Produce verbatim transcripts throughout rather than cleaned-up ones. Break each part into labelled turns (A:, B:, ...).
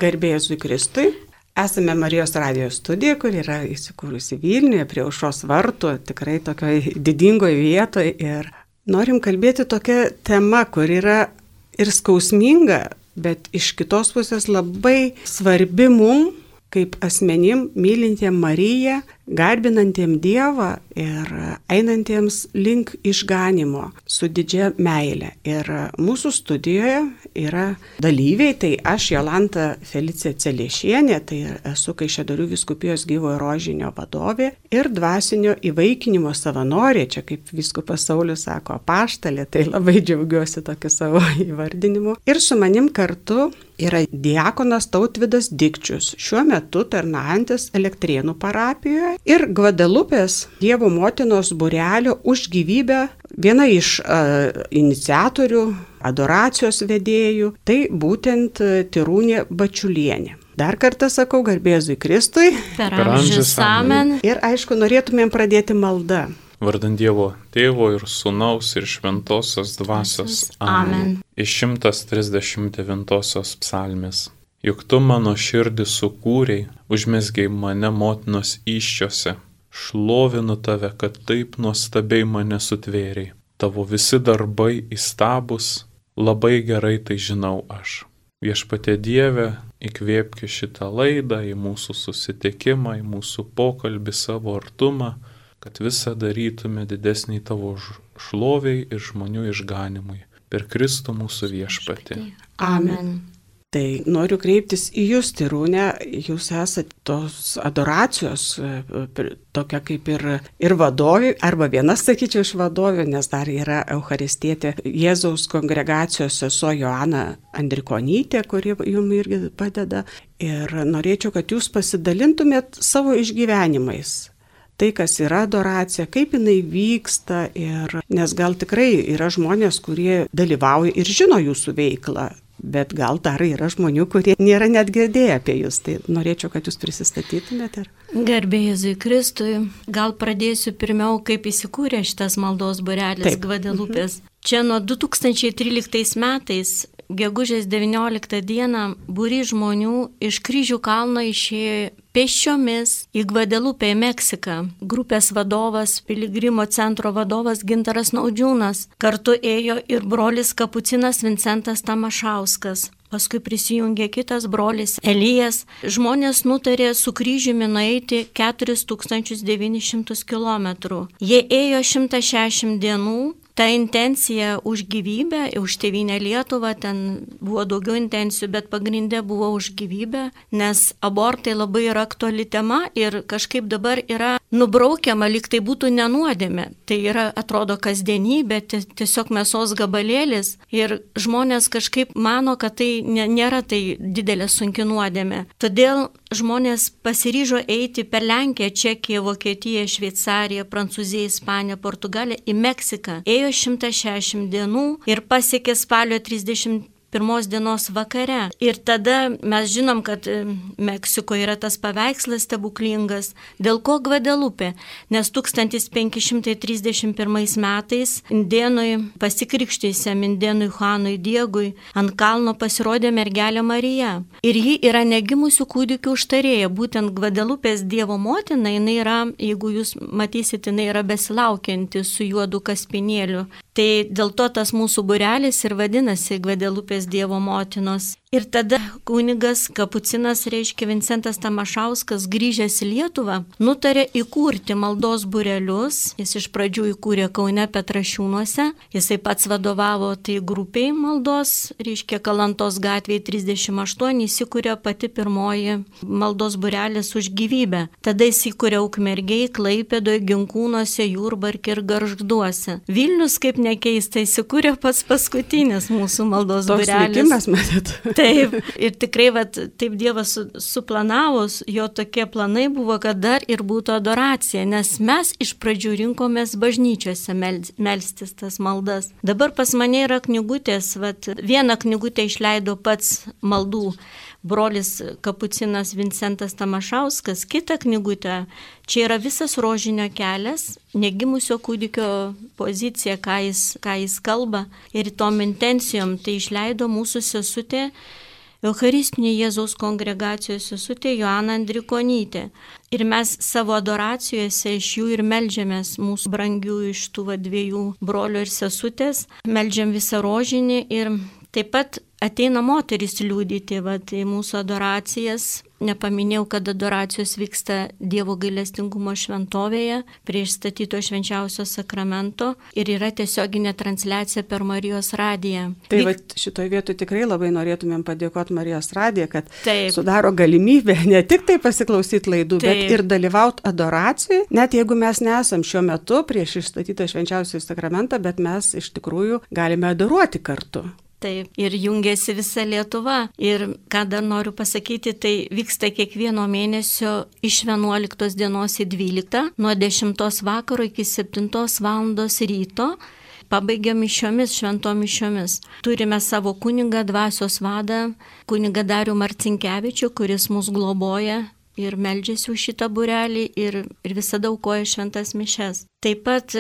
A: Garbė Jėzui Kristui. Esame Marijos radijo studija, kur yra įsikūrusi Vilniuje, prie Aušros vartų, tikrai tokioje didingoje vietoje. Ir norim kalbėti tokia tema, kur yra ir skausminga, bet iš kitos pusės labai svarbi mum, kaip asmenim, mylintiem Mariją, garbinantiem Dievą ir einantiems link išganimo su didžia meile. Ir mūsų studijoje yra dalyviai, tai aš Jolanta Felicija Celiešienė, tai esu Kaišiadorių vyskupijos Gyvojo Rožinio vadovė ir dvasinio įvaikinimo savanorė, čia kaip vyskupas Saulius sako, apaštalė, tai labai džiaugiuosi tokiu savo įvardinimu. Ir su manim kartu yra diakonas Tautvydas Dikčius, šiuo metu tarnaujantis Elektrėnų parapijoje ir Gvadelupės Dievo motinos būrelio Už gyvybę, viena iš uh, iniciatorių, adoracijos vedėjų, tai būtent uh, Tirūnė Bačiulienė. Dar kartą sakau, garbė Jėzui Kristui.
B: Per amžius amen.
A: Ir aišku, norėtumėm pradėti maldą.
C: Vardant Dievo Tėvo ir Sūnaus ir Šventosios Dvasios.
B: Amen.
C: Iš šimtas trisdešimt devintosios psalmės. Juk tu mano širdį sukūrei, užmesgei mane motinos įsčiose. Šlovinu tave, kad taip nuostabiai mane sutvėrei. Tavo visi darbai įstabus, labai gerai tai žinau aš. Viešpatie Dieve, įkvėpki šitą laidą į mūsų susitikimą, į mūsų pokalbį, savo artumą, kad visą darytume didesnį tavo šloviai ir žmonių išganimui. Per Kristų mūsų viešpatį.
B: Amen.
A: Tai noriu kreiptis į jūs, Tirūnė, jūs esate tos adoracijos, tokia kaip ir, ir vadovė, arba viena, sakyčiau, iš vadovė, nes dar yra Eucharistietė Jėzaus kongregacijos sesuo Joana Andrikonytė, kuri jums irgi padeda. Ir norėčiau, kad jūs pasidalintumėt savo išgyvenimais. Tai, kas yra adoracija, kaip jinai vyksta, ir, nes gal tikrai yra žmonės, kurie dalyvauja ir žino jūsų veiklą, bet gal dar yra žmonių, kurie nėra net girdėję apie jūs. Tai norėčiau, kad jūs prisistatytumėte.
B: Garbė Jėzui Kristui. Gal pradėsiu pirmiau, kaip įsikūrė šitas maldos būrelis Gvadelupės. Mhm. Čia nuo du tūkstančiai tryliktais metais, gegužės devynioliktą dieną, būry žmonių iš Kryžių kalno išėjo pėsčiomis į Gvadelupę, į Meksiką. Grupės vadovas, Piligrimo centro vadovas Gintaras Naudžiūnas. Kartu ėjo ir brolis kapucinas Vincentas Tamašauskas. Paskui prisijungė kitas brolis Elijas. Žmonės nutarė su kryžiumi nueiti keturis tūkstančius devynis šimtus kilometrų. Jie ėjo šimtą šešiasdešimt dienų. Ta intencija už gyvybę, už tėvynę Lietuvą, ten buvo daugiau intencijų, bet pagrindė buvo už gyvybę, nes abortai labai yra aktuali tema ir kažkaip dabar yra nubraukiama, lyg tai būtų nenuodėmė. Tai yra, atrodo, kasdienybė, tiesiog mėsos gabalėlis ir žmonės kažkaip mano, kad tai nėra tai didelė sunki nuodėmė. Todėl žmonės pasiryžo eiti per Lenkiją, Čekiją, Vokietiją, Šveicariją, Prancūziją, Ispaniją, Portugaliją į Meksiką. Ėjo šimtą šešiasdešimt dienų ir pasiekė spalio trisdešimt pirmos dienos vakare. Ir tada mes žinom, kad Meksikoje yra tas paveikslas stebuklingas. Dėl ko Gvadelupė? Nes tūkstantis penki šimtai trisdešimt pirmais metais indėnui pasikrikštysiam indėnui Juanui Diegui ant kalno pasirodė mergelė Marija. Ir ji yra negimusių kūdikių užtarėja. Būtent Gvadelupės Dievo motina, jinai yra, jeigu jūs matysite, jinai yra besilaukianti su juodu kaspinėliu. Tai dėl to tas mūsų būrelis ir vadinasi Gvadelupės Dievo motinos. Ir tada kunigas kapucinas, reiškia Vincentas Tamašauskas, grįžęs į Lietuvą, nutarė įkurti maldos būrelius. Jis iš pradžių įkūrė Kaune Petrašiūnuose. Jisai pats vadovavo tai grupiai maldos, reiškia Kalantos gatvėje trisdešimt aštuoni, įsikūrė pati pirmoji maldos būrelis Už gyvybę. Tada jis įkūrė Ukmergėj, Klaipėdoje, Ginkūnuose, Jurbarke ir Gargžduose. Vilnius, kaip nekeista, įsikūrė pats paskutinis mūsų maldos
A: Toks
B: būrelis.
A: likimas, matyt.
B: Taip, ir tikrai vat, taip Dievas su, suplanavus, jo tokie planai buvo, kad dar ir būtų adoracija, nes mes iš pradžių rinkomės bažnyčiose mel, melstis tas maldas. Dabar pas mane yra knygutės, vat, vieną knygutę išleido pats maldų brolis kapucinas Vincentas Tamašauskas, kitą knygutę, čia yra visas rožinio kelias, negimusio kūdikio pozicija, ką jis, ką jis kalba, ir tom intencijom tai išleido mūsų sesutė Eucharistinė Jėzaus kongregacijos sesutė Joana Andrikonytė. Ir mes savo adoracijose iš jų ir meldžiamės, mūsų brangių iš tų va, dviejų brolių ir sesutės, meldžiam visą rožinį ir taip pat ateina moteris liūdyti va, į mūsų adoracijas. Nepaminėjau, kad adoracijos vyksta Dievo gailestingumo šventovėje prie išstatyto švenčiausio sakramento ir yra tiesioginė transliacija per Marijos radiją.
A: Tai Vyk... va, šitoje vietoje tikrai labai norėtumėm padėkoti Marijos radiją, kad Taip. Sudaro galimybę ne tik tai pasiklausyti laidų, Taip. Bet ir dalyvauti adoracijai, net jeigu mes nesam šiuo metu prieš išstatytą švenčiausią sakramentą, bet mes iš tikrųjų galime adoruoti kartu.
B: Taip, ir jungiasi visa Lietuva. Ir ką dar noriu pasakyti, tai vyksta kiekvieno mėnesio iš vienuoliktos dienos į dvyliktą, nuo dešimtos vakaro iki septintos valandos ryto. Pabaigiam mišiomis, šventom mišiomis. Turime savo kunigą, dvasios vadą, kunigą Darių Marcinkevičių, kuris mus globoja ir meldžiasi už šitą būrelį ir, ir visada aukoja šventas mišes. Taip pat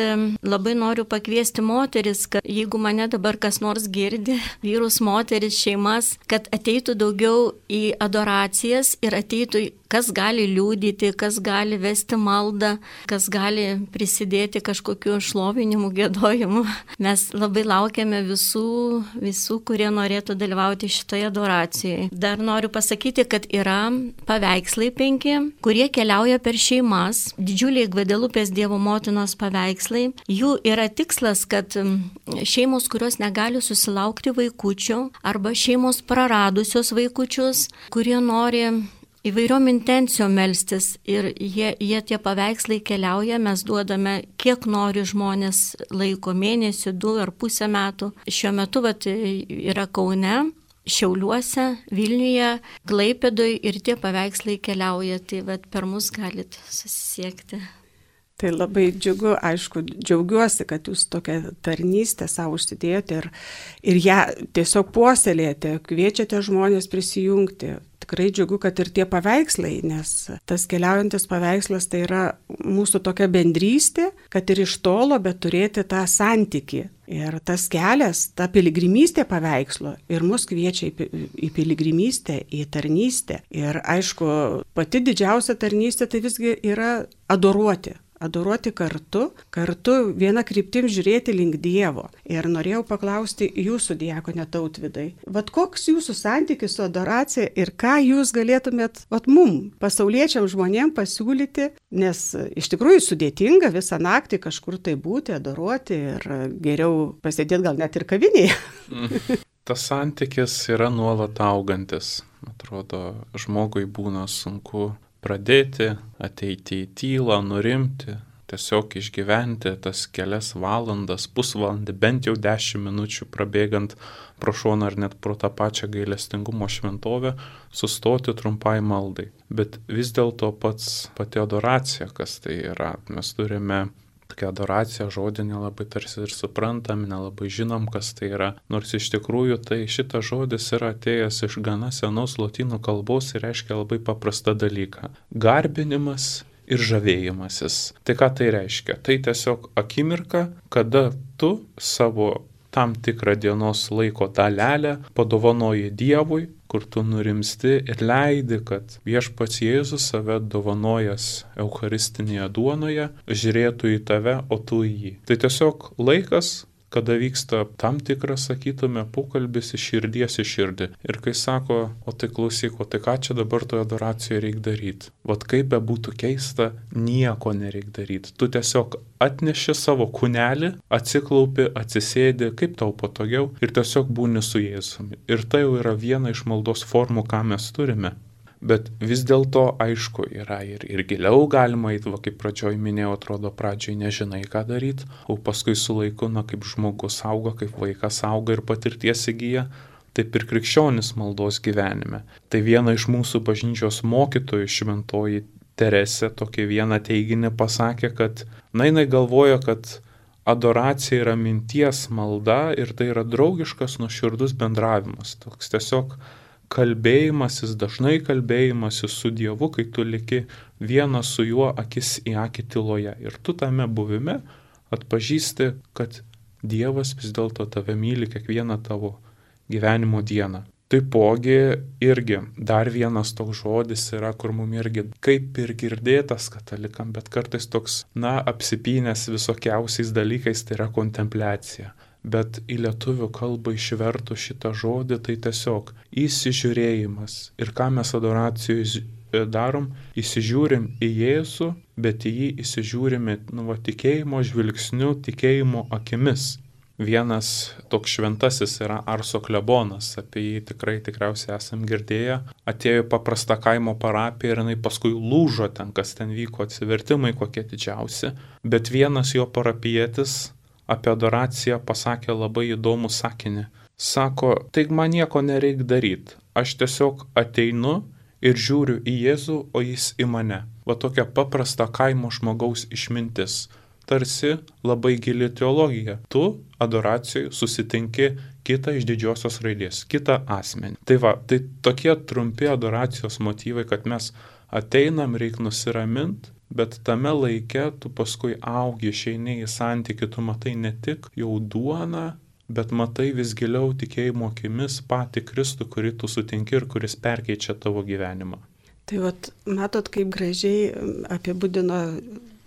B: labai noriu pakviesti moteris, kad jeigu mane dabar kas nors girdi, vyrus, moteris, šeimas, kad ateitų daugiau į adoracijas ir ateitų, kas gali liūdyti, kas gali vesti maldą, kas gali prisidėti kažkokiu šlovinimu, gėdojimu. Mes labai laukiame visų, visų, kurie norėtų dalyvauti šitoje adoracijoje. Dar noriu pasakyti, kad yra paveikslai penki, kurie keliauja per šeimas, didžiuliai Gvadelupės Dievo motinos paveikslai. Jų yra tikslas, kad šeimos, kurios negali susilaukti vaikučių arba šeimos praradusios vaikučius, kurie nori įvairiom intencijom melstis ir jie, jie tie paveikslai keliauja, mes duodame kiek nori žmonės laiko, mėnesį, du ar pusę metų. Šiuo metu vat, yra Kaune, Šiauliuose, Vilniuje, Klaipėdoje ir tie paveikslai keliauja, tai vat, per mus galit susisiekti.
A: Tai labai džiugu, aišku, džiaugiuosi, kad jūs tokią tarnystę savo užsidėjote ir, ir ją tiesiog puoselėjate, kviečiate žmonės prisijungti. Tikrai džiugu, kad ir tie paveikslai, nes tas keliaujantis paveikslas tai yra mūsų tokia bendrystė, kad ir iš tolo, bet turėti tą santykį. Ir tas kelias, ta piligrimystė paveikslo ir mus kviečia į, į piligrimystę, į tarnystę. Ir aišku, pati didžiausia tarnystė tai visgi yra adoruoti. Adoruoti kartu, kartu vieną kryptim žiūrėti link Dievo. Ir norėjau paklausti jūsų, diakone Tautvydai, vat koks jūsų santykis su adoracija ir ką jūs galėtumėt vat mum, pasauliečiam žmonėm pasiūlyti, nes iš tikrųjų sudėtinga visą naktį kažkur tai būti, adoruoti ir geriau pasėdėti gal net ir kavinėje.
C: Tas santykis yra nuolat augantis. Atrodo, žmogui būna sunku pradėti, ateiti į tylą, nurimti, tiesiog išgyventi tas kelias valandas, pusvalandį, bent jau dešimt minučių prabėgant pro šoną ar net pro tą pačią gailestingumo šventovę, sustoti trumpai maldai. Bet vis dėlto pats pati adoracija, kas tai yra, mes turime tokia adoracija, žodį nelabai tarsi ir suprantam, nelabai žinom, kas tai yra. Nors iš tikrųjų tai šitas žodis yra atėjęs iš gana senos lotynų kalbos ir reiškia labai paprastą dalyką. Garbinimas ir žavėjimasis. Tai ką tai reiškia? Tai tiesiog akimirka, kada tu savo tam tikrą dienos laiko dalelę padovanoji Dievui, kur tu nurimsti ir leidi, kad viešpats Jėzus save dovanojas eucharistinėje duonoje, žiūrėtų į tave, o tu į jį. Tai tiesiog laikas, kada vyksta tam tikras, sakytume, pokalbis iš širdies į širdį. Ir kai sako, o tai klausyk, o tai ką čia dabar toje adoracijoje reikia daryti? Vat kaip be būtų keista, nieko nereikia daryti. Tu tiesiog atneši savo kūnelį, atsiklaupi, atsisėdi, kaip tau patogiau ir tiesiog būni su Jėzumi. Ir tai jau yra viena iš maldos formų, ką mes turime. Bet vis dėlto, aišku, yra ir, ir giliau galima eiti, va, kaip pradžioj minėjau, atrodo, pradžioj nežinai, ką daryti, o paskui su laiku, na, kaip žmogus auga, kaip vaikas auga ir patirties įgyja, taip ir krikščionis maldos gyvenime. Tai viena iš mūsų bažnyčios mokytojų, šventoji Teresė, tokį vieną teiginį pasakė, kad, na, jinai galvoja, kad adoracija yra minties malda ir tai yra draugiškas, nuoširdus bendravimas. Toks tiesiog kalbėjimasis, dažnai kalbėjimasis su Dievu, kai tu liki vienas su juo akis į akį tyloje. Ir tu tame buvime atpažįsti, kad Dievas vis dėlto tave myli kiekvieną tavo gyvenimo dieną. Taipogi irgi dar vienas toks žodis yra, kur mums irgi kaip ir girdėtas katalikam, bet kartais toks, na, apsipynęs visokiausiais dalykais, tai yra kontempliacija. Bet į lietuvių kalbą išvertų šitą žodį, tai tiesiog įsižiūrėjimas. Ir ką mes adoracijoje darom, įsižiūrim į Jėzų, bet į jį įsižiūrime nu, va, tikėjimo žvilgsniu, tikėjimo akimis. Vienas toks šventasis yra Arso klebonas, apie jį tikrai tikriausiai esam girdėję. Atėjo paprasta kaimo parapija ir jinai paskui lūžo ten, kas ten vyko, atsivertimai kokie didžiausi. Bet vienas jo parapietis apie adoraciją pasakė labai įdomų sakinį. Sako, tai man nieko nereik daryti, aš tiesiog ateinu ir žiūriu į Jėzų, o jis į mane. Va tokia paprasta kaimo žmogaus išmintis. Tarsi labai gili teologija. Tu adoracijoje susitinki kitą iš didžiosios raidės, kitą asmenį. Tai va, tai tokie trumpi adoracijos motyvai, kad mes ateinam, reik nusiraminti, bet tame laike tu paskui augi, išeini į santykį, tu matai ne tik jau duoną, bet matai vis giliau tikėjimo akimis patį Kristų, kurį tu sutinki ir kuris perkeičia tavo gyvenimą.
A: Tai vat, matot, kaip gražiai apibūdino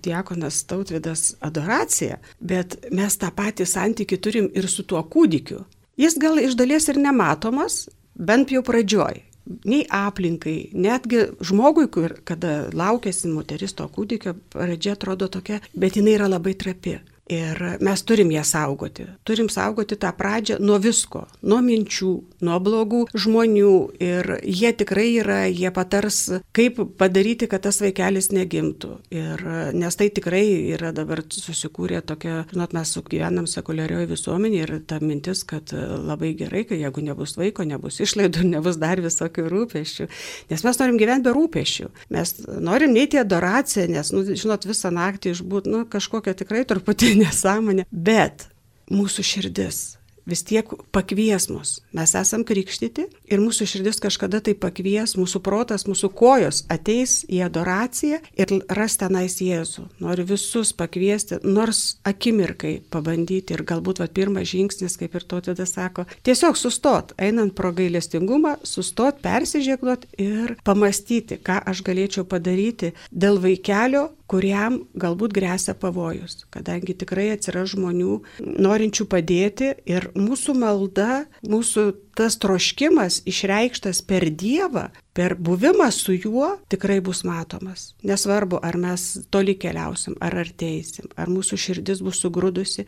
A: diakonas Tautvydas adoraciją, bet mes tą patį santykį turim ir su tuo kūdikiu. Jis gal iš dalies ir nematomas, bent jau pradžioj. Nei aplinkai, netgi žmogui, kur, kada laukiasi moteris to kūdikio, pradžia atrodo tokia, bet jinai yra labai trapi. Ir mes turim ją saugoti. Turim saugoti tą pradžią nuo visko, nuo minčių, nuo blogų žmonių. Ir jie tikrai yra, jie patars, kaip padaryti, kad tas vaikelis negimtų. Ir, nes tai tikrai yra dabar susikūrė tokia, žinot, mes gyvenam sekuliarioje visuomenėje ir ta mintis, kad labai gerai, kad jeigu nebus vaiko, nebus išlaidų, nebus dar visokių rūpesčių. Nes mes norim gyventi be rūpesčių. Mes norim neiti į adoraciją, nes, nu, žinot, visą naktį išbūt, nu, kažkokia tikrai truputį nesąmonė, bet mūsų širdis vis tiek pakvies mus. Mes esam krikštyti ir mūsų širdis kažkada tai pakvies, mūsų protas, mūsų kojos ateis į adoraciją ir ras tenais Jėzų. Noriu visus pakviesti, nors akimirkai pabandyti ir galbūt va, pirmas žingsnis, kaip ir Tautvydas sako, tiesiog sustot, einant pro gailestingumą, sustot, persižegnot ir pamastyti, ką aš galėčiau padaryti dėl vaikelio, kuriam galbūt gresia pavojus, kadangi tikrai atsiras žmonių norinčių padėti ir mūsų malda, mūsų tas troškimas išreikštas per Dievą, per buvimą su juo tikrai bus matomas. Nesvarbu, ar mes toli keliausim, ar arteisim, ar mūsų širdis bus sugrūdusi,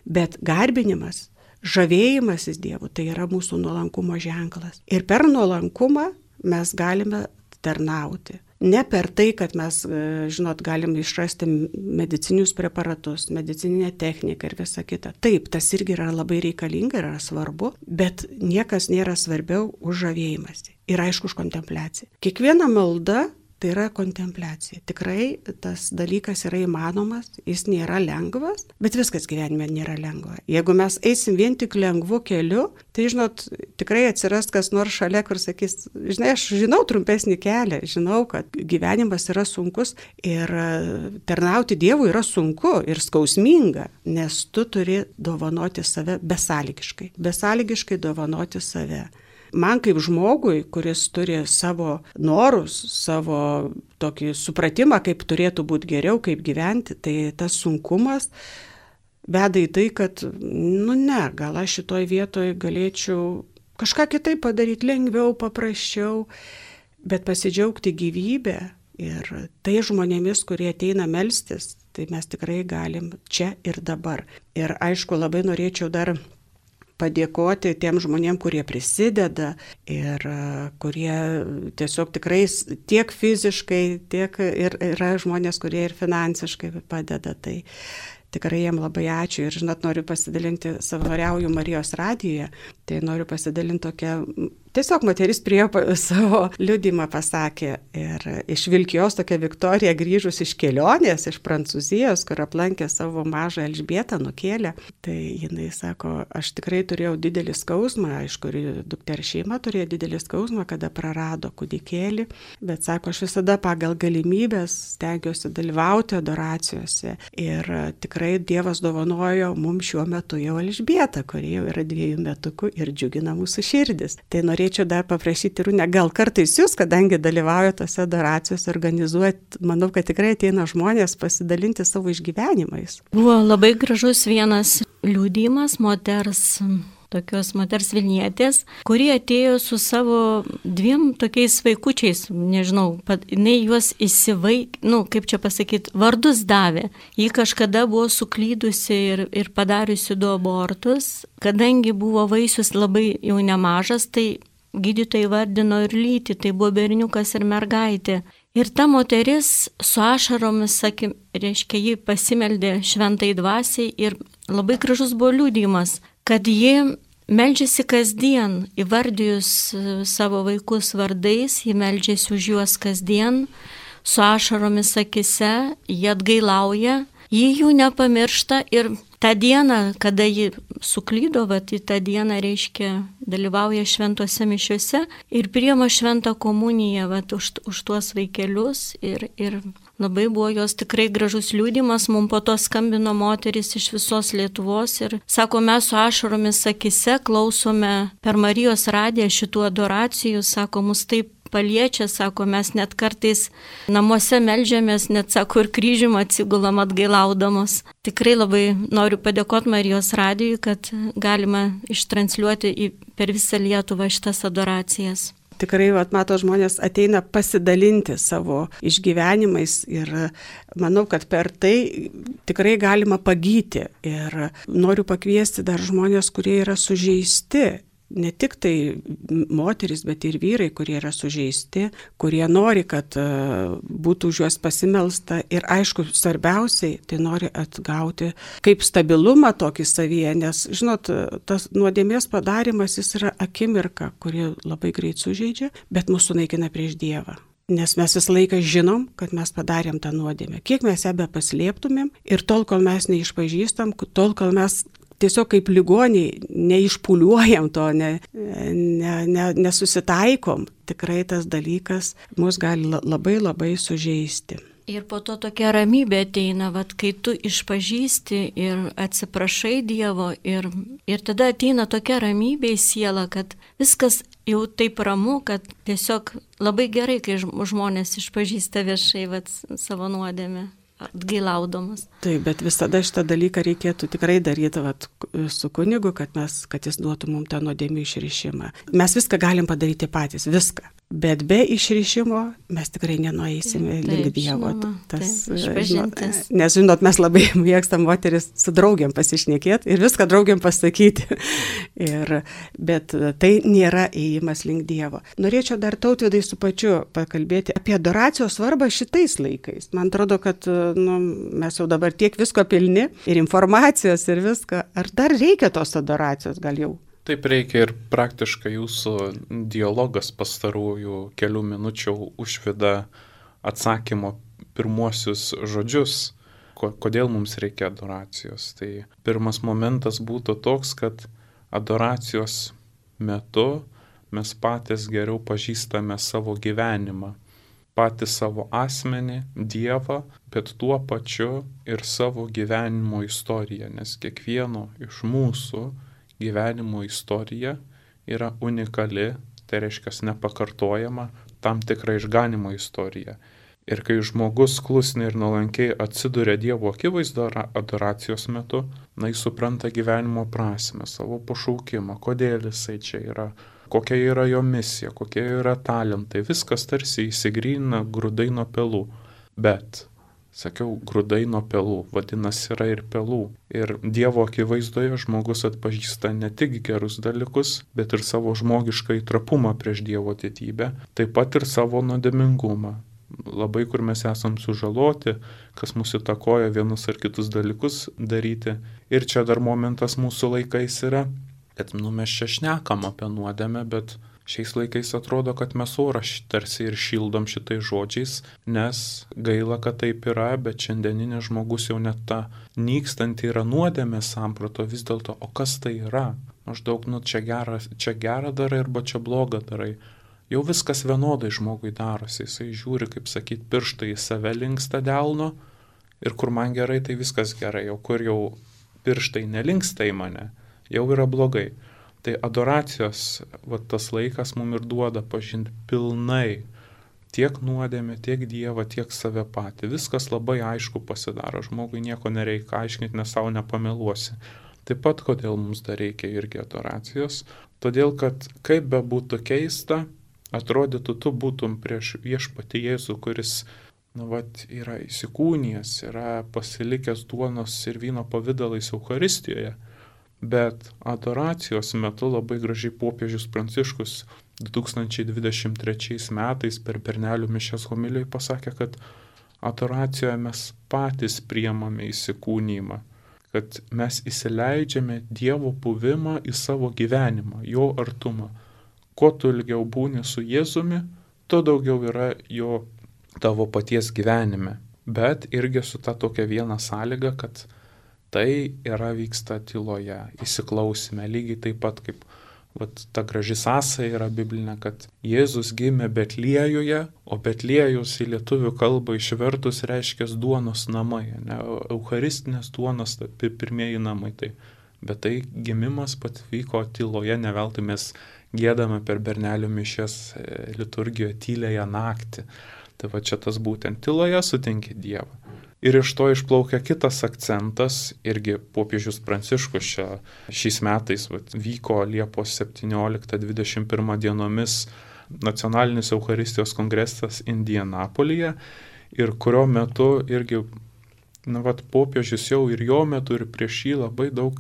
A: bet garbinimas, žavėjimasis Dievu, tai yra mūsų nuolankumo ženklas. Ir per nuolankumą mes galime tarnauti. Ne per tai, kad mes, žinot, galim išrasti medicinius preparatus, medicininę techniką ir visą kitą. Taip, tas irgi yra labai reikalinga ir yra svarbu, bet niekas nėra svarbiau už žavėjimąsi. Ir aišku, už kontempliaciją. Kiekviena malda tai yra kontempliacija. Tikrai tas dalykas yra įmanomas, jis nėra lengvas, bet viskas gyvenime nėra lengva. Jeigu mes eisim vien tik lengvu keliu, tai, žinot, tikrai atsiras kas nors šalia, kur sakys, žinai, aš žinau trumpesnį kelią, žinau, kad gyvenimas yra sunkus ir tarnauti Dievui yra sunku ir skausminga, nes tu turi dovanoti save besąlygiškai, besąlygiškai dovanoti save. Man kaip žmogui, kuris turi savo norus, savo tokį supratimą, kaip turėtų būti geriau, kaip gyventi, tai tas sunkumas veda į tai, kad, nu ne, gal aš šitoj vietoj galėčiau kažką kitaip padaryti, lengviau, paprasčiau, bet pasidžiaugti gyvybę ir tai žmonėmis, kurie ateina melstis, tai mes tikrai galim čia ir dabar. Ir aišku, labai norėčiau dar padėkoti tiem žmonėm, kurie prisideda ir kurie tiesiog tikrai tiek fiziškai, tiek ir yra žmonės, kurie ir finansiškai padeda. Tai tikrai jiem labai ačiū ir, žinot, noriu pasidalinti, savanoriauju Marijos radijoje, tai noriu pasidalinti tokią, tiesiog moteris prie savo liudymą pasakė ir iš Vilkijos tokia Viktorija grįžus iš kelionės, iš Prancūzijos, kur aplankė savo mažą Elžbietą, nukėlė, tai jinai sako, aš tikrai turėjau didelį skausmą, aišku, dukters šeima turėjo didelį skausmą, kada prarado kūdikėlį, bet sako, aš visada pagal galimybės stengiuosi dalyvauti adoracijose ir tikrai Dievas dovanojo mums šiuo metu jau Elžbietą, kuri jau yra dviejų metukų ir džiugina mūsų širdis. Tai norėčiau dar paprašyti Rūnę, gal kartais jūs, kadangi dalyvaujate tose adoracijose, organizuojat, manau, kad tikrai ateina žmonės pasidalinti savo išgyvenimais.
B: Buvo labai gražus vienas liudijimas moters, tokios moters Vilnietės, kuri atėjo su savo dviem tokiais vaikučiais, nežinau, jinai juos įsivaik, nu, kaip čia pasakyti, vardus davė. Ji kažkada buvo suklydusi ir, ir padariusi du abortus, kadangi buvo vaisius labai jau nemažas, tai gydytojai vardino ir lytį, tai buvo berniukas ir mergaitė. Ir ta moteris su ašaromis, sakim, reiškia, ji pasimeldė šventai dvasiai ir labai gražus buvo liudijimas, kad ji meldžiasi kasdien, įvardijus savo vaikus vardais, ji meldžiasi už juos kasdien, su ašaromis akise, ji atgailauja, ji jų nepamiršta ir tą dieną, kada ji suklydo, vat, į tą dieną, reiškia, dalyvauja šventose mišiuose ir priima šventą komuniją vat, už, už tuos vaikelius ir, ir labai buvo jos tikrai gražus liudijimas, mums po to skambino moteris iš visos Lietuvos ir sako, mes su ašaromis akise klausome per Marijos radiją šitų adoracijų, sako, mus taip paliečia, sako, mes net kartais namuose meldžiamės, net, sako, ir kryžium atsigulam atgailaudamos. Tikrai labai noriu padėkoti Marijos radijui, kad galima ištransliuoti į, per visą Lietuvą šitas adoracijas.
A: Tikrai, vat, mato, žmonės ateina pasidalinti savo išgyvenimais ir manau, kad per tai tikrai galima pagyti. Ir noriu pakviesti dar žmonės, kurie yra sužeisti. Ne tik tai moteris, bet ir vyrai, kurie yra sužeisti, kurie nori, kad būtų už juos pasimelsta ir aišku, svarbiausiai, tai nori atgauti kaip stabilumą tokį savyje, nes, žinot, tas nuodėmės padarimas, jis yra akimirka, kuri labai greit sužeidžia, bet mūsų naikina prieš Dievą. Nes mes visą laiką žinom, kad mes padarėm tą nuodėmę. Kiek mes ją be paslėptumėm ir tol, kol mes neišpažįstam, tol, kol mes tiesiog kaip ligoniai neišpuliuojam to, ne, ne, ne, nesusitaikom, tikrai tas dalykas mus gali labai labai sužeisti.
B: Ir po to tokia ramybė ateina, vat, kai tu išpažįsti ir atsiprašai Dievo ir, ir tada ateina tokia ramybė į sielą, kad viskas jau taip ramu, kad tiesiog labai gerai, kai žmonės išpažįsta viešai vat, savo nuodėmę. Atgailaudamas.
A: Taip, bet visada šitą dalyką reikėtų tikrai daryti vat, su kunigu, kad, mes, kad jis duotų mums tą nuodėmių išrišimą. Mes viską galim padaryti patys, viską. Bet be išrišimo mes tikrai nenueisime taip, link Dievo.
B: Žinoma,
A: Tas,
B: taip,
A: žinot, nes, žinot, mes labai mėgstam moteris su draugiam pasišnekėti ir viską draugiam pasakyti. ir, bet tai nėra ėjimas link Dievo. Norėčiau dar Tautvydai su pačiu pakalbėti apie adoracijos svarbą šitais laikais. Man atrodo, kad nu, mes jau dabar tiek visko pilni ir informacijos ir viską. Ar dar reikia tos adoracijos gal jau?
C: Taip reikia ir praktiškai jūsų dialogas pastarųjų kelių minučių užveda atsakymo pirmuosius žodžius, kodėl mums reikia adoracijos. Tai pirmas momentas būtų toks, kad adoracijos metu mes patys geriau pažįstame savo gyvenimą, patį savo asmenį, Dievą, bet tuo pačiu ir savo gyvenimo istoriją, nes kiekvieno iš mūsų gyvenimo istorija yra unikali, tai reiškia nepakartojama, tam tikra išganimo istorija. Ir kai žmogus klusniai ir nuolankiai atsiduria Dievo akivaizdo adoracijos metu, na, jis supranta gyvenimo prasmę, savo pašaukimą, kodėl jisai čia yra, kokia yra jo misija, kokie yra talentai, viskas tarsi įsigrynina grūdai nuo pelų. Bet sakiau, grūdai nuo pelų, vadinasi yra ir pelų. Ir Dievo akivaizdoje žmogus atpažįsta ne tik gerus dalykus, bet ir savo žmogišką įtrapumą prieš Dievo didybę, taip pat ir savo nuodėmingumą. Labai kur mes esam sužaloti, kas mūsų įtakoja vienus ar kitus dalykus daryti. Ir čia dar momentas mūsų laikais yra, kad nu, mes čia šnekam apie nuodėmę, bet šiais laikais atrodo, kad mes orą tarsi ir šildom šitais žodžiais, nes gaila, kad taip yra, bet šiandieninė žmogus jau net ta nykstanti yra nuodėmė samprato vis dėlto, o kas tai yra? Maždaug, nu, čia gerą, čia gerą darai arba čia blogą darai. Jau viskas vienodai žmogui darosi, jisai žiūri, kaip sakyt, pirštai į save linksta delno ir kur man gerai, tai viskas gerai, o kur jau pirštai nelinksta į mane, jau yra blogai. Tai adoracijos, va, tas laikas mums ir duoda pažinti pilnai tiek nuodėmę, tiek Dievą, tiek save patį. Viskas labai aišku pasidaro, žmogui nieko nereikia aiškinti, nes savo nepameluosi. Taip pat, kodėl mums dar reikia irgi adoracijos? Todėl, kad kaip be būtų keista, atrodytų, tu būtum prieš viešpatį Jėzų, kuris, nu, vat, yra įsikūnijęs, yra pasilikęs duonos ir vyno pavydalais Eucharistijoje, bet adoracijos metu labai gražiai popiežius Pranciškus du tūkstančiai dvidešimt trečiais metais per Bernelių mišias homilijoj pasakė, kad adoracijoje mes patys priimame įsikūnijimą, kad mes įsileidžiame Dievo buvimą į savo gyvenimą, jo artumą. Kuo tu ilgiau būni su Jėzumi, tuo daugiau yra jo tavo paties gyvenime. Bet irgi su ta tokia viena sąlyga, kad tai yra vyksta tyloje, įsiklausime, lygiai taip pat kaip vat, ta graži sąsaja yra biblinė, kad Jėzus gimė Betliejuje, o Betliejus į lietuvių kalbą išvertus reiškia duonos namai, ne, eucharistinės duonos pirmieji namai. Tai, bet tai gimimas pat vyko tyloje, ne veltui mes giedame per Bernelių mišias liturgijoje tyliąją naktį. Tai va čia tas būtent tyloje sutinki Dievą. Ir iš to išplaukia kitas akcentas, irgi popiežius Pranciškus čia šiais metais va, vyko Liepos septynioliktą dvidešimt pirmą dienomis nacionalinis Eucharistijos kongresas Indianapolyje, ir kurio metu irgi, na, va, popiežius jau ir jo metu ir prieš jį labai daug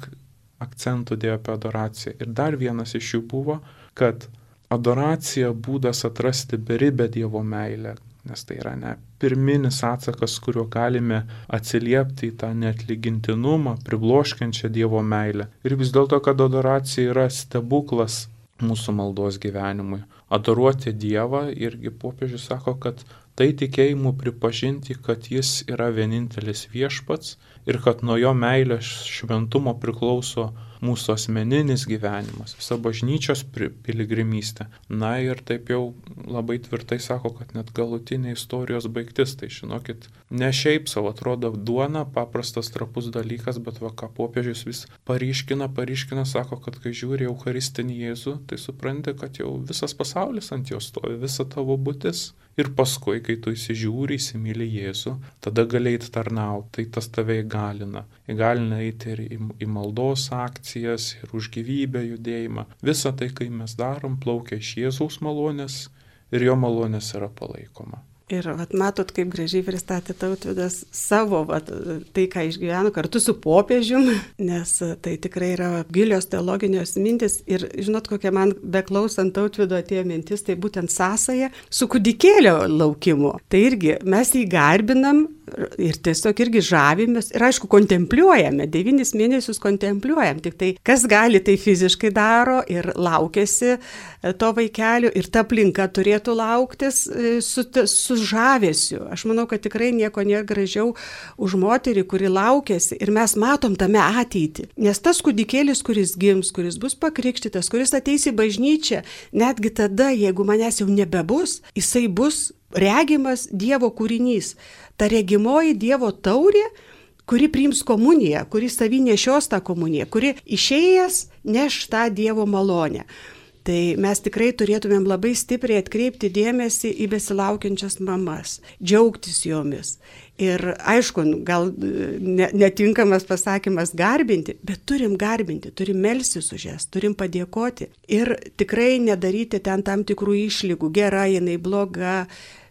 C: akcentų dėjo apie adoraciją. Ir dar vienas iš jų buvo, kad adoracija būdas atrasti beribę Dievo meilę, nes tai yra ne pirminis atsakas, kuriuo galime atsiliepti į tą neatlygintinumą, pribloškiančią Dievo meilę. Ir vis dėlto, kad adoracija yra stebuklas mūsų maldos gyvenimui. Adoruoti Dievą, irgi popiežius sako, kad tai tikėjimu pripažinti, kad jis yra vienintelis viešpats ir kad nuo jo meilės šventumo priklauso mūsų asmeninis gyvenimas, visa bažnyčios piligrimystė. Na ir taip jau labai tvirtai sako, kad net galutinė istorijos baigtis. Tai žinokit, ne šiaip savo atrodo duona, paprastas trapus dalykas, bet va ką popiežius vis paryškina, paryškina, sako, kad kai žiūri Eucharistinį Jėzų, tai supranti, kad jau visas pasaulis ant jo stovi, visa tavo būtis. Ir paskui, kai tu įsižiūri, įsimyli Jėzų, tada gali eiti tarnauti, tai tas tave įgalina. Įgalina eiti ir į, į maldos akcijas, ir už gyvybę judėjimą. Visa tai, kai mes darom, plaukia iš Jėzaus malonės ir jo malonės yra palaikoma.
A: Ir vat, matot, kaip gražiai pristatė Tautvydas savo, vat, tai, ką išgyveno kartu su popiežium, nes tai tikrai yra gilios teologinės mintis. Ir žinot, kokia man beklausant Tautvydo atėjo mintis, tai būtent sąsaja su kūdikėlio laukimu. Tai irgi mes jį garbinam ir tiesiog irgi žavimės ir aišku kontempliuojame, devynis mėnesius kontempliuojam, tik tai kas gali, tai fiziškai daro ir laukiasi to vaikelio ir ta aplinka turėtų lauktis su, su žavesiu. Aš manau, kad tikrai nieko nėra gražiau už moterį, kuri laukiasi ir mes matom tame ateitį. Nes tas kūdikėlis, kuris gims, kuris bus pakrikštytas, kuris ateis į bažnyčią, netgi tada, jeigu manęs jau nebebus, jisai bus regimas Dievo kūrinys. Ta regimoji Dievo taurė, kuri priims komuniją, kuri savy nešios tą komuniją, kuri išėjęs neš tą Dievo malonę. Tai mes tikrai turėtumėm labai stipriai atkreipti dėmesį į besilaukiančias mamas, džiaugtis jomis. Ir aišku, gal netinkamas pasakymas garbinti, bet turim garbinti, turim melstis už jas, turim padėkoti. Ir tikrai nedaryti ten tam tikrų išlygų, gera jinai, bloga,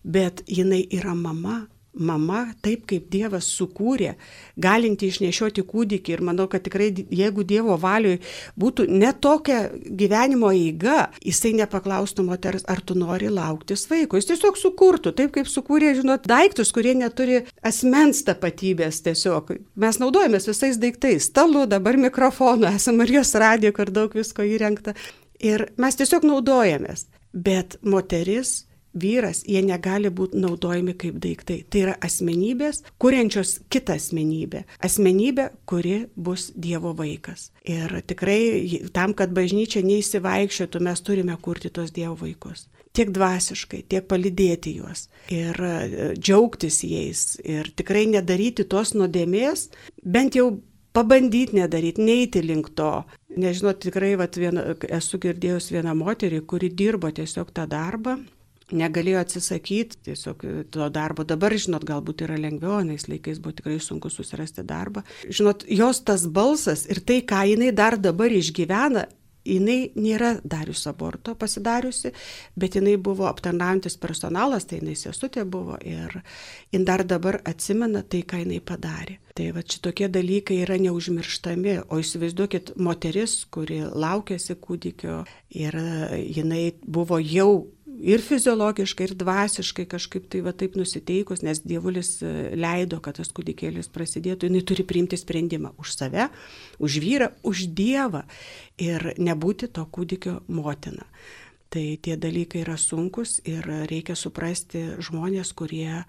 A: bet jinai yra mama. Mama, taip kaip Dievas sukūrė, galinti išnešioti kūdikį. Ir manau, kad tikrai, jeigu Dievo valioj būtų ne tokia gyvenimo eiga, jisai nepaklaustų moters, ar tu nori lauktis vaiko. Jis tiesiog sukurtų, taip kaip sukūrė, žinot, daiktus, kurie neturi asmens tapatybės tiesiog. Mes naudojamės visais daiktais, stalu, dabar mikrofonu, esame Marijos radijo, kur daug visko įrengta. Ir mes tiesiog naudojamės. Bet moteris, vyras, jie negali būti naudojami kaip daiktai. Tai yra asmenybės, kuriančios kitą asmenybę. Asmenybė, kuri bus Dievo vaikas. Ir tikrai tam, kad bažnyčia neįsivaikščiotų, mes turime kurti tos Dievo vaikus. Tiek dvasiškai, tiek palydėti juos. Ir džiaugtis jais. Ir tikrai nedaryti tos nuodėmės, bent jau pabandyti nedaryti, neiti link to. nežinau, tikrai vat, viena, esu girdėjus vieną moterį, kuri dirbo tiesiog tą darbą, negalėjo atsisakyti tiesiog to darbo. Dabar, žinot, galbūt yra lengviau, anais laikais buvo tikrai sunku susirasti darbą. Žinot, jos tas balsas ir tai, ką jinai dar dabar išgyvena, jinai nėra darius aborto pasidariusi, bet jinai buvo aptarnaujantis personalas, tai jinai sesutė buvo ir jin dar dabar atsimena tai, ką jinai padarė. Tai va šitokie dalykai yra neužmirštami, o įsivaizduokit moteris, kuri laukėsi kūdikio ir jinai buvo jau ir fiziologiškai, ir dvasiškai kažkaip tai va taip nusiteikus, nes Dievulis leido, kad tas kūdikėlis prasidėtų, jinai turi priimti sprendimą už save, už vyrą, už Dievą ir nebūti to kūdikio motina. Tai tie dalykai yra sunkus ir reikia suprasti žmonės, kurie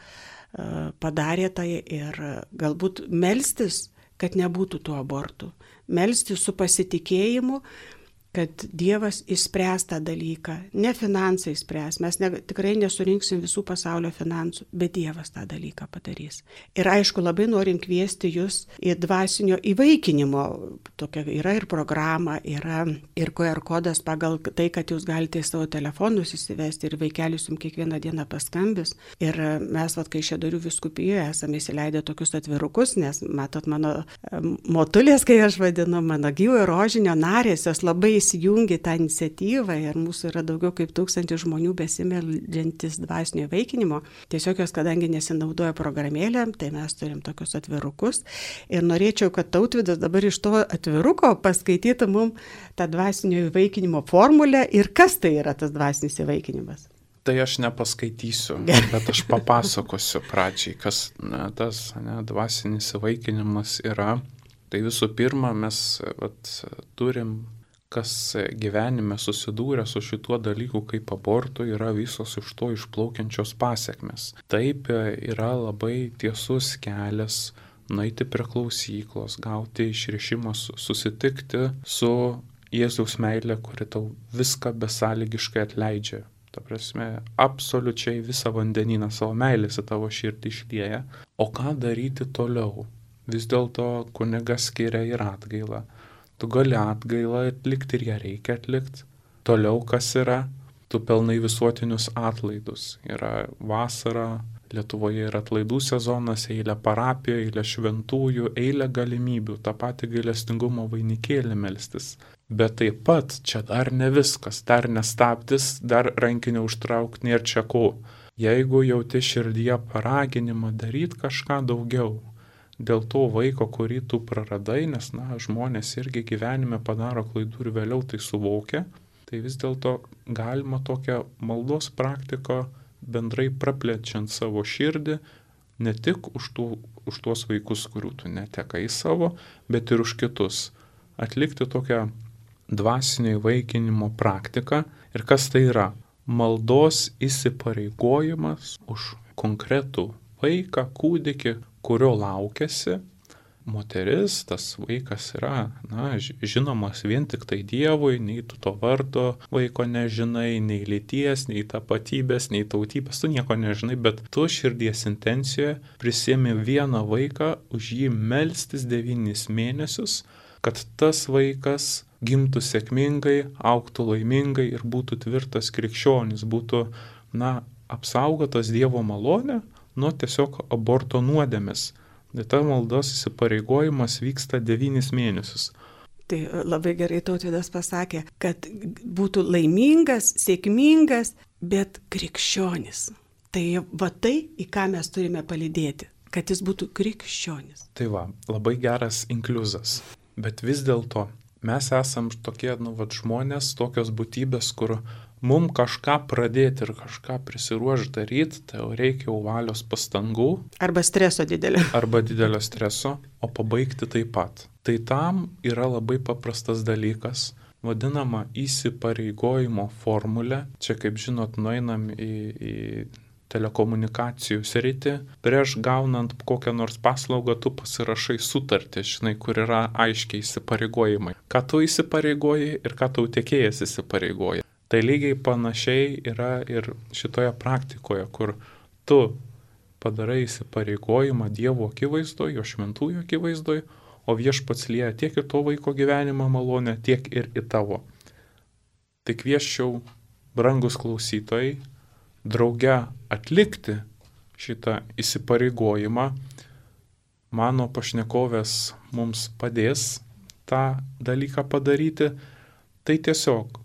A: padarė tai ir galbūt melstis, kad nebūtų tų abortų. Melstis su pasitikėjimu, kad Dievas išspręs tą dalyką. Ne finansai spręs, mes ne, tikrai nesurinksim visų pasaulio finansų, bet Dievas tą dalyką padarys. Ir aišku, labai norim kviesti jūs į dvasinio įvaikinimo. Tokia yra ir programa, yra ir Q R kodas pagal tai, kad jūs galite į savo telefonus įsivesti ir vaikelis jums kiekvieną dieną paskambis. Ir mes, vat, kai Kaišiadorių vyskupijoje esame įsileidę tokius atvirukus, nes matot mano motulės, kai aš vadinu, mano gyvojo rožinio narės, jos labai įsijungi tą iniciatyvą ir mūsų yra daugiau kaip tūkstantis žmonių besimeldžiantis dvasinio įvaikinimo. Tiesiog jos, kadangi nesinaudoja programėlę, tai mes turim tokius atvirukus. Ir norėčiau, kad Tautvydas dabar iš to atviruko paskaitytų mums tą dvasinio įvaikinimo formulę ir kas tai yra tas dvasinis įvaikinimas.
C: Tai aš nepaskaitysiu, bet aš papasakosiu pradžiai, kas ne, tas ne, dvasinis įvaikinimas yra. Tai visų pirma, mes vat, turim kas gyvenime susidūrė su šituo dalyku kaip abortu, yra visos iš to išplaukiančios pasiekmes. Taip yra labai tiesus kelias nueiti prie klausyklos, gauti išrišimą, susitikti su Jėzaus meilė, kuri tau viską besąlygiškai atleidžia. Ta prasme, absoliučiai visą vandenyną savo meilės į tavo širdį išlieja. O ką daryti toliau? Vis dėlto kunigas skiria ir atgailą. Tu gali atgailą atlikti ir ją reikia atlikti. Toliau kas yra? Tu pelnai visuotinius atlaidus. Yra vasara, Lietuvoje yra atlaidų sezonas, eilė parapijų, eilė šventųjų, eilė galimybių, tą patį gailestingumo vainikėlį melstis. Bet taip pat čia dar ne viskas, dar nestabdis, dar rankinio užtraukti nėra čia ko. Jeigu jauti širdyje paraginimą daryti kažką daugiau, dėl to vaiko, kurį tu praradai, nes na, žmonės irgi gyvenime padaro klaidų ir vėliau tai suvokia, tai vis dėlto galima tokią maldos praktiką bendrai praplečiant savo širdį, ne tik už, tų, už tuos vaikus, kurių tu netekai savo, bet ir už kitus. Atlikti tokią dvasinio įvaikinimo praktiką. Ir kas tai yra? Maldos įsipareigojimas už konkretų vaiką, kūdikį, kurio laukiasi moteris, tas vaikas yra, na, žinomas vien tik tai Dievui, nei tu to vardo vaiko nežinai, nei lyties, nei tapatybės, nei tautybės, tu nieko nežinai, bet tu širdies intencijoje prisiemi vieną vaiką, už jį melstis devynis mėnesius, kad tas vaikas gimtų sėkmingai, augtų laimingai ir būtų tvirtas krikščionis, būtų, na, apsaugotas Dievo malonė nuo tiesiog aborto nuodėmės. Tai ta maldos įsipareigojimas vyksta devynis mėnesius.
A: Tai labai gerai Tautvydas pasakė, kad būtų laimingas, sėkmingas, bet krikščionis. Tai va tai, į ką mes turime palydėti, kad jis būtų krikščionis.
C: Tai va, labai geras inkliuzas. Bet vis dėlto mes esam tokie, nu, va, žmonės, tokios būtybės, kur mums kažką pradėti ir kažką prisiruošti daryti, tai jau reikia jau valios pastangų.
A: Arba streso didelio.
C: Arba didelio streso, o pabaigti taip pat. Tai tam yra labai paprastas dalykas, vadinama įsipareigojimo formulė. Čia, kaip žinot, nueinam į, į telekomunikacijų sritį. Prieš gaunant kokią nors paslaugą, tu pasirašai sutartį, žinai, kur yra aiškiai įsipareigojimai. Ką tu įsipareigoji ir ką tau tiekėjas įsipareigoja. Tai lygiai panašiai yra ir šitoje praktikoje, kur tu padarai įsipareigojimą Dievo akivaizdoje, jo šventųjų akivaizdoje, o Viešpats lieja tiek į to vaiko gyvenimą malonę, tiek ir į tavo. Tai kvieščiau, brangus klausytojai, drauge atlikti šitą įsipareigojimą. Mano pašnekovės mums padės tą dalyką padaryti. Tai tiesiog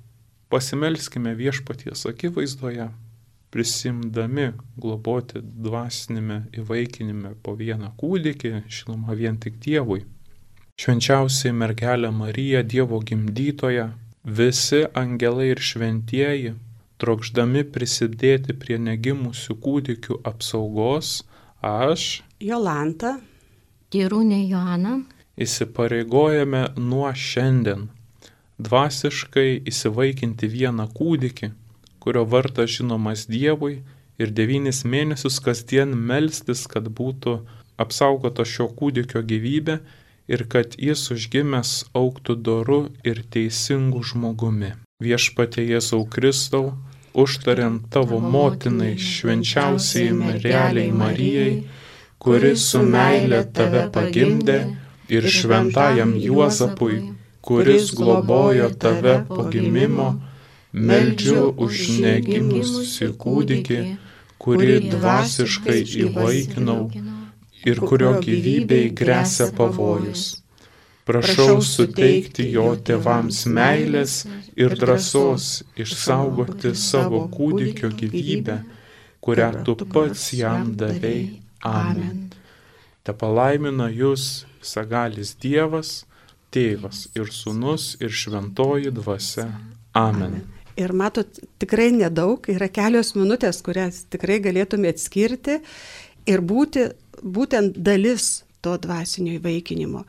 C: pasimelskime Viešpaties akivaizdoje, prisimdami globoti dvasinime įvaikinime po vieną kūdikį, žinoma vien tik Dievui. Švenčiausiai mergelė Marija, Dievo gimdytoja, visi angelai ir šventieji, trokšdami prisidėti prie negimusių kūdikių apsaugos, aš,
A: Jolanta,
B: Tyrūnė Joana,
C: įsipareigojame nuo šiandien dvasiškai įsivaikinti vieną kūdikį, kurio vardas žinomas Dievui, ir devynis mėnesius kasdien melstis, kad būtų apsaugota šio kūdikio gyvybė ir kad jis užgimęs augtų doru ir teisingu žmogumi. Viešpatie Jėzau Kristau, užtariant tavo motinai, švenčiausiai mergelei Marijai, kuris su meile tave pagimdė, ir šventajam Juozapui, kuris globojo tave po gimimo, meldžiu už negimusį kūdikį, kurį dvasiškai įvaikinau ir kurio gyvybei gresia pavojus. Prašau suteikti jo tėvams meilės ir drąsos išsaugoti savo kūdikio gyvybę, kurią tu pats jam davei. Amen. Te palaimina jūs visagalis Dievas, Tėvas ir Sūnus ir Šventoji Dvasia. Amen.
A: Ir matot, tikrai nedaug, yra kelios minutės, kurias tikrai galėtume atskirti ir būti būtent dalis to dvasinio įvaikinimo.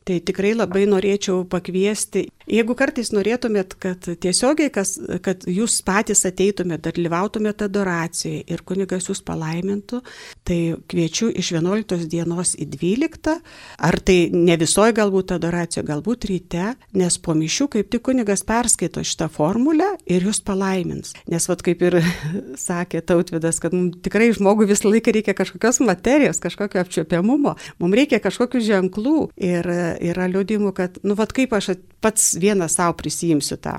A: Tai tikrai labai norėčiau pakviesti, jeigu kartais norėtumėt, kad tiesiogiai, kas, kad jūs patys ateitumėt, dalyvautumėt adoracijoje ir kunigas jūs palaimintų, tai kviečiu iš vienuoliktos dienos į dvyliktą, ar tai ne visoje galbūt adoracijoje, galbūt ryte, nes po mišių kaip tik kunigas perskaito šitą formulę ir jūs palaimins. Nes vat kaip ir sakė Tautvydas, kad mums tikrai žmogui visą laiką reikia kažkokios materijos, kažkokio apčiuopiamumo, mums reikia kažkokių ženklų ir yra liudimų, kad, nu, vat kaip aš pats vienas savo prisijimsiu tą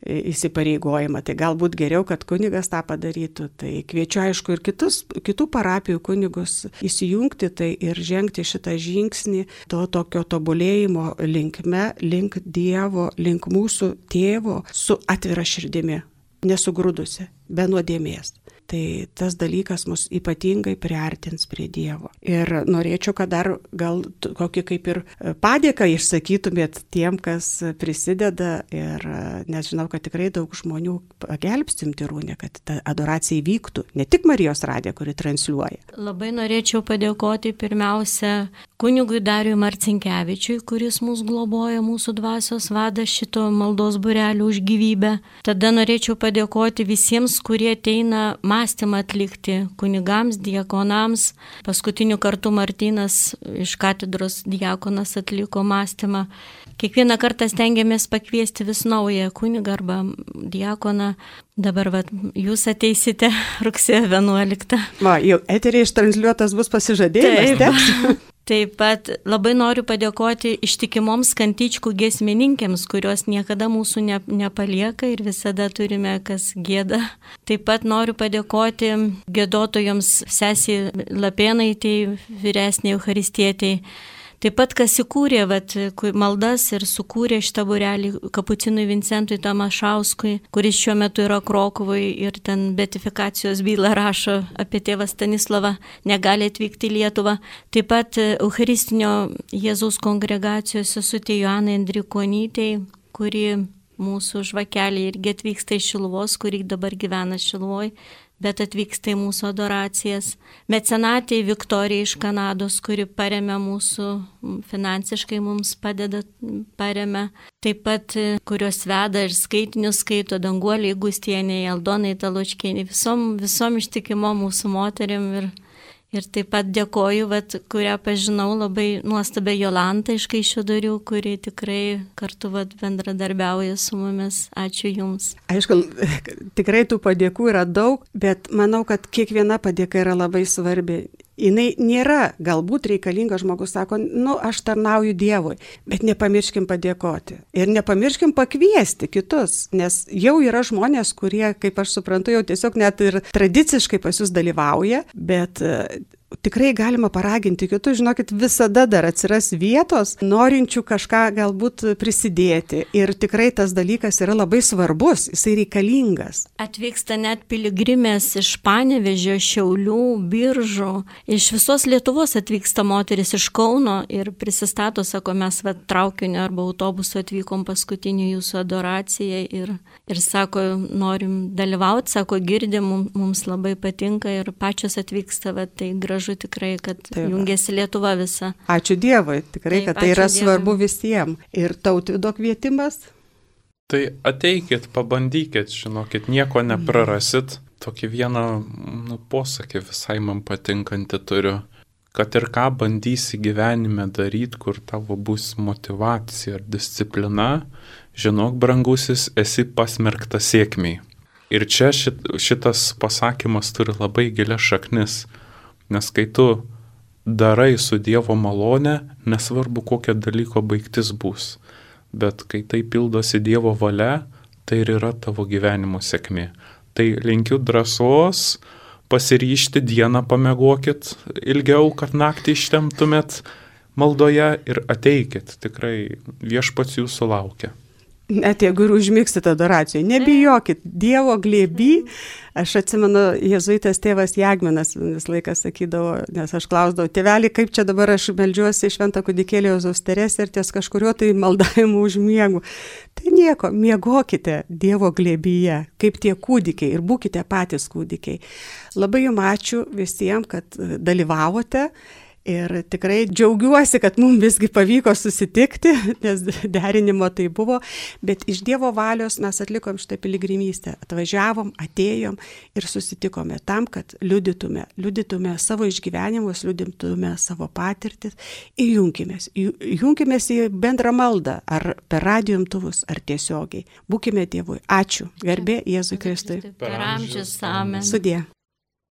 A: įsipareigojimą, tai galbūt geriau, kad kunigas tą padarytų. Tai kviečiu, aišku, ir kitus, kitų parapijų kunigus įsijungti tai ir žengti šitą žingsnį to tokio tobulėjimo linkme, link Dievo, link mūsų tėvo su atvira širdimi, nesugrūdusi, be nuodėmės. Tai tas dalykas mus ypatingai priartins prie Dievo. Ir norėčiau, kad dar gal kokį kaip ir padėką išsakytumėt tiem, kas prisideda, ir nes žinau, kad tikrai daug žmonių pagelbstim Tyrūnė, kad ta adoracija įvyktų, ne tik Marijos radija, kuri transliuoja.
B: Labai norėčiau padėkoti pirmiausia kunigui Dariui Marcinkevičiui, kuris mūsų globoja, mūsų dvasios vada šito maldos būrelio už gyvybę. Tada norėčiau padėkoti visiems, kurie ateina mąstymą atlikti, kunigams, diakonams. Paskutiniu kartu Martynas iš katedros diakonas atliko mąstymą. Kiekvieną kartą stengiamės pakviesti vis naują kunigą arba diakoną. Dabar vat, jūs ateisite rugsėjo vienuoliktą.
A: Va, jau eteriai ištransliuotas bus pasižadėjimas.
B: Taip. Taip pat labai noriu padėkoti ištikimoms kantičkų giesmininkėms, kurios niekada mūsų ne, nepalieka ir visada turime kas gėda. Taip pat noriu padėkoti gėdotojoms sesiai Lapėnaitei, vyresniai Eucharistietei. Taip pat, kas įkūrė vat, maldas ir sukūrė šitą būrelį Kapucinui Vincentui Tamašauskui, kuris šiuo metu yra Krokuvoj ir ten beatifikacijos bylą rašo apie tėvą Stanislavą, negali atvykti į Lietuvą. Taip pat Eucharistinio Jėzaus kongregacijos sesutė Joanai Andrikonytei, kuri mūsų žvakelė irgi atvyksta iš Šiluvos, kuri dabar gyvena Šiluvoj, bet atvyksta į mūsų adoracijas. Mecenatė Viktorija iš Kanados, kuri paremia mūsų, finansiškai mums padeda, paremia. Taip pat, kurios veda ir skaitinius skaito Danguoliai Gustienė, Aldonai Talučkienė, visom, visom ištikimo mūsų moterim. Ir, ir taip pat dėkoju, vat, kurią pažinau, labai nuostabę Jolantą iš Kaišiadorių, kuri tikrai kartu vat, bendradarbiauja su mumis. Ačiū Jums.
A: Aišku, tikrai tų padėkų yra daug, bet manau, kad kiekviena padėka yra labai svarbi. jinai nėra galbūt reikalinga, žmogus sako, nu, aš tarnauju Dievui, bet nepamirškim padėkoti. Ir nepamirškim pakviesti kitus, nes jau yra žmonės, kurie, kaip aš suprantu, jau tiesiog net ir tradiciškai pas jūs dalyvauja, bet tikrai galima paraginti kitus, žinokit, visada dar atsiras vietos, norinčių kažką galbūt prisidėti. Ir tikrai tas dalykas yra labai svarbus, jisai reikalingas.
B: Atvyksta net piligrimės iš Panevėžio, Šiaulių, Biržų, iš visos Lietuvos atvyksta moteris iš Kauno ir prisistato, sako, mes va, traukiniu arba autobusu atvykom paskutinių jūsų adoracijai ir, ir sako, norim dalyvauti, sako, girdim, mums labai patinka ir pačios atvyksta, va, tai gražu. Tikrai, kad taip, jungiasi Lietuva visa.
A: Ačiū Dievui, tikrai, taip, kad tai yra Dievui. Svarbu visiems. Ir Tautvydo kvietimas?
C: Tai ateikit, pabandykit, žinokit, nieko neprarasit. Tokį vieną nu, posakį visai man patinkantį turiu. Kad ir ką bandysi gyvenime daryti, kur tavo bus motyvacija ar disciplina, žinok, brangusis, esi pasmerktas sėkmiai. Ir čia šit, šitas pasakymas turi labai gilias šaknis. Nes kai tu darai su Dievo malone, nesvarbu kokia dalyko baigtis bus, bet kai tai pildosi Dievo valia, tai ir yra tavo gyvenimo sėkmė. Tai linkiu drąsos, pasiryžti, dieną pamiegokit ilgiau, kad naktį ištemptumėt maldoje ir ateikit, tikrai viešpats jūsų laukia.
A: Net jeigu ir užmigsite adoracijoje, nebijokit, Dievo glėby. Aš atsimenu, jėzuitas tėvas Jagminas vis laiką sakydavo, nes aš klausdavau, tėvelį, kaip čia dabar aš meldžiuosi šventą kūdikėlį Jėzaus Teresę ir ties kažkurio tai maldavimu užmiegu. Tai nieko, miegokite Dievo glėbyje, kaip tie kūdikiai ir būkite patys kūdikiai. Labai jums ačiū visiems, kad dalyvavote. Ir tikrai džiaugiuosi, kad mums visgi pavyko susitikti, nes derinimo tai buvo, bet iš Dievo valios mes atlikom šitą piligrimystę. Atvažiavom, atėjom ir susitikome tam, kad liudytume, liudytume savo išgyvenimus, liudytume savo patirtis ir junkimės. Junkimės į bendrą maldą, ar per radijo imtuvus, ar tiesiogiai. Būkime Dievui. Ačiū. Garbė Jėzui Kristui.
B: Per amžius. Amen.
A: Sudie.